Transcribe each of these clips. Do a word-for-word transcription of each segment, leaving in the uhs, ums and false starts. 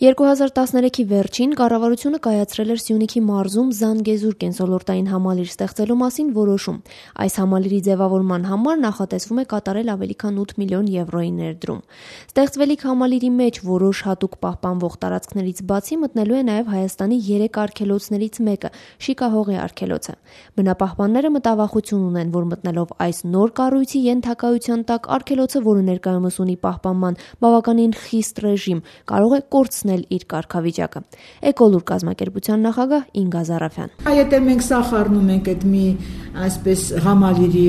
երկու հազար տասներեքի վերջին կառավարությունը կայացրել էր Սյունիքի մարզում Զանգեզուր կենսոլորտային համալիր ստեղծելու մասին որոշում։ Այս համալիրի ձևավորման համար նախատեսվում է կատարել ավելի քան ութ միլիոն եվրոյի ներդրում։ Ստեղծվելիք համալիրի մեջ որոշ հատուկ պահպանվող տարածքներից բացի մտնելու է նաև Հայաստանի երեք արգելոցներից մեկը՝ Շիկահողի արգելոցը։ Բնապահպանները մտավախություն ունեն, որ մտնելով այս նոր կառույցի ենթակայության տակ արգելոցը, որը ներկայումս ունի պահպանման բավականին խիստ ռեժիմ, կարող է կորցնել իր կարգավիճակը։ Էկոլուր կազմակերպության նախագահ Ինգա Զարաֆյան։ Եթե մենք սա խառնում ենք այդ մի այսպես համալիրի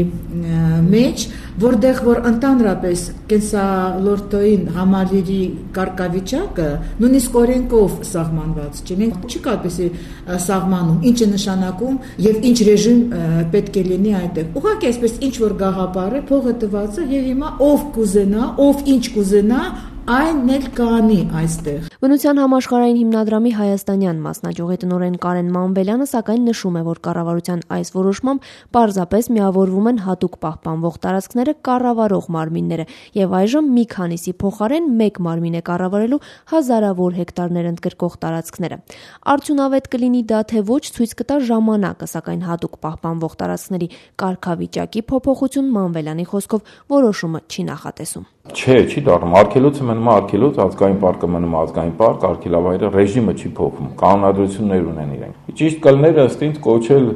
մեջ, որտեղ որ ընդհանրապես կենսալորտային համալիրի կարգավիճակը նույնիսկ օրենքով սահմանված չէ, մենք չի կարպեսի սահմանում, ինչ է նշանակում եւ ինչ ռեժիմ պետք է լինի այդտեղ։ Ուղղակի այսպես ինչ որ գաղափար է, փողը տված է եւ հիմա ով կուզենա, ով ինչ կուզենա, այն էլ կանի այստեղ։ Բնության համաշխարհային հիմնադրամի հայաստանյան մասնաճյուղի տնօրեն Կարեն Մանվելյանը սակայն նշում է, որ կառավարության այս որոշմամբ պարզապես միավորվում են հատուկ պահպանվող տարածքները կառավարող մարմինները եւ այժմ մի քանիսի փոխարեն մեկ մարմին է կառավարելու հազարավոր հեկտարներ ընդգրկող տարածքները։ Արդյունավետ կլինի դա թե ոչ ցույց կտա ժամանակը, սակայն հատուկ պահպանվող տարածքների կարգավիճակի փոփոխություն Մանվելյանի խոսքով որոշումը չի նախատեսում։ Չէ, չի դառնում, արգելոցը մնում է արգելոց, ազգային պարկը մնում է ազգային պարկ, արգելավայրը ռեժիմը չի փոխվում, կանոնադրություններ ունեն իրենք։ Ճիշտ կլներ ըստ ինձ կոչել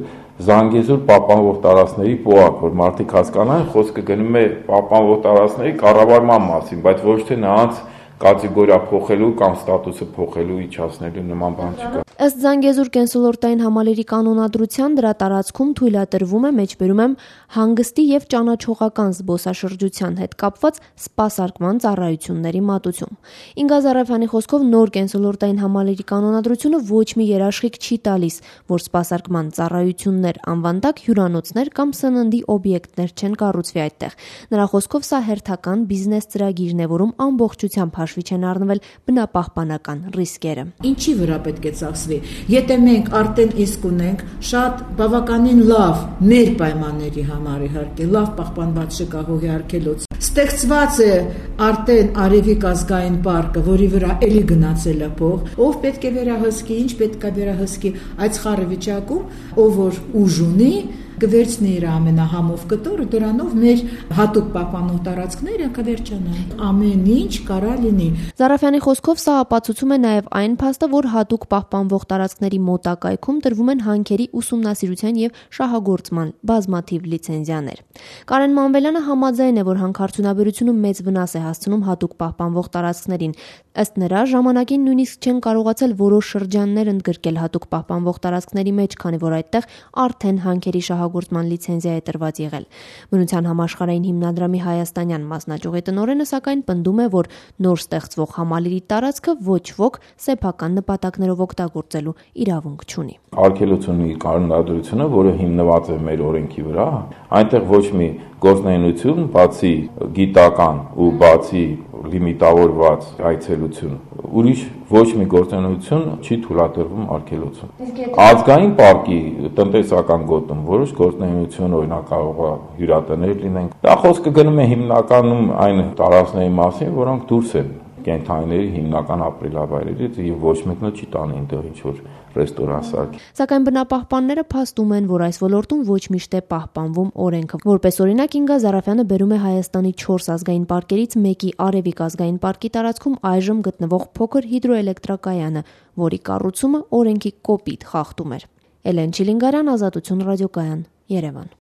Զանգեզուր պահպանվող տարածքների պոակ, որ մարդիկ հասկանան, խոսքը գնում է պահպանվող տարածքների կառավարման մասին, բայց ոչ թե նրանց կատեգորիա փոխելու կամ ստատուսը փոխելու իջացնելու նման բան չկա։ Ըստ Զանգեզուր կենսոլորտային համալիրի կանոնադրության դրա տարածքում թույլատրվում է մեջբերում եմ հանգստի եւ ճանաչողական զբոսաշրջության հետ կապված սպասարկման ծառայությունների մատուցում։ Ինգա Զարաֆյանի խոսքով նոր կենսոլորտային համալիրի կանոնադրությունը ոչ մի երաշխիք չի տալիս, որ սպասարկման ծառայություններ անվան տակ հյուրանոցներ կամ սննդի օբյեկտներ չեն կառուցվի այդտեղ։ Նրա խոսքով սա հերթական բիզնես ծրագիրն է, որում ամբողջությամբ հաշվի չեն առնվել բնապահպանական ռիսկերը։ Ինչի վրա պետք է ծախսվի։ Եթե մենք արդեն իսկ ունենք շատ բավականին լավ մեր պայմանների համար իհարկե լավ պահպանված Շիկահողի արգելոց, ստեղծված է արդեն Արևիկ ազգային պարկը, որի վրա էլի գնացել է փող, ով պետք է վերահսկի, ինչ պետք է վերահսկի այդ խառը վիճակում, ով որ ուժ ունի կվերցնի իր ամենահամով կտորը, դրանով մեր հատուկ պահպանող տարածքները կվերջանան։ Ամեն ինչ կարա լինի։ Զարաֆյանի խոսքով սա ապացուցում է նաև այն փաստը, որ հատուկ պահպանվող տարածքների մոտակայքում տրվում են հանքերի ուսումնասիրության եւ շահագործման բազմաթիվ լիցենզիաներ։ Կարեն Մանվելյանը համաձայն է, որ հանքարդյունաբերությունը մեծ վնաս է հասցնում հատուկ պահպանվող տարածքներին։ Ըստ նրա, ժամանակին նույնիսկ չեն կարողացել որոշ շրջաններ ընդգրկել հատուկ պահպանվող տարածքների մեջ, քանի որ այդտեղ արդեն հանքերի շահագործման լիցենզիա է տրված եղել։ Բնության համաշխարհային հիմնադրամի հայաստանյան մասնաճյուղի տնօրենը սակայն պնդում է, որ նոր ստեղծվող համալիրի տարածքը ոչ ոք սեփական նպատակներով օգտագործելու իրավունք չունի։ Արգելոցի կանոնադրությունը, որը հիմնված է մեր օրենքի վրա, այնտեղ ոչ մի գործունեություն, բացի գիտական ու բացի լիմիտավորված այցելություն, ուրիշ ոչ մի գործունեություն չի թույլատրվում արգելոցում։ Ազգային պարկի տնտեսական գոտում որոշ գործունեություն օրինակ կարող է հյուրատներ լինեն։ Դա խոսքը գնում է հիմնականում այն տարածքների մասին, որոնք դուրս են կենդանիների հիմնական ապրելավայրերից եւ ոչ մեկն էլ չի տանի այնտեղ ինչ որ ռեստորան սարքի։ Սակայն բնապահպանները փաստում են, որ այս ոլորտում ոչ միշտ է պահպանվում օրենքը։ Որպես օրինակ Ինգա Զարաֆյանը բերում է Հայաստանի չորս ազգային պարկերից մեկի Արևիկ ազգային պարկի տարածքում այժմ գտնվող փոքր հիդրոէլեկտրակայանը, որի կառուցումը օրենքի կոպիտ խախտում էր։ Էլեն Չիլինգարյան, Ազատություն ռադիոկայան, Երևան։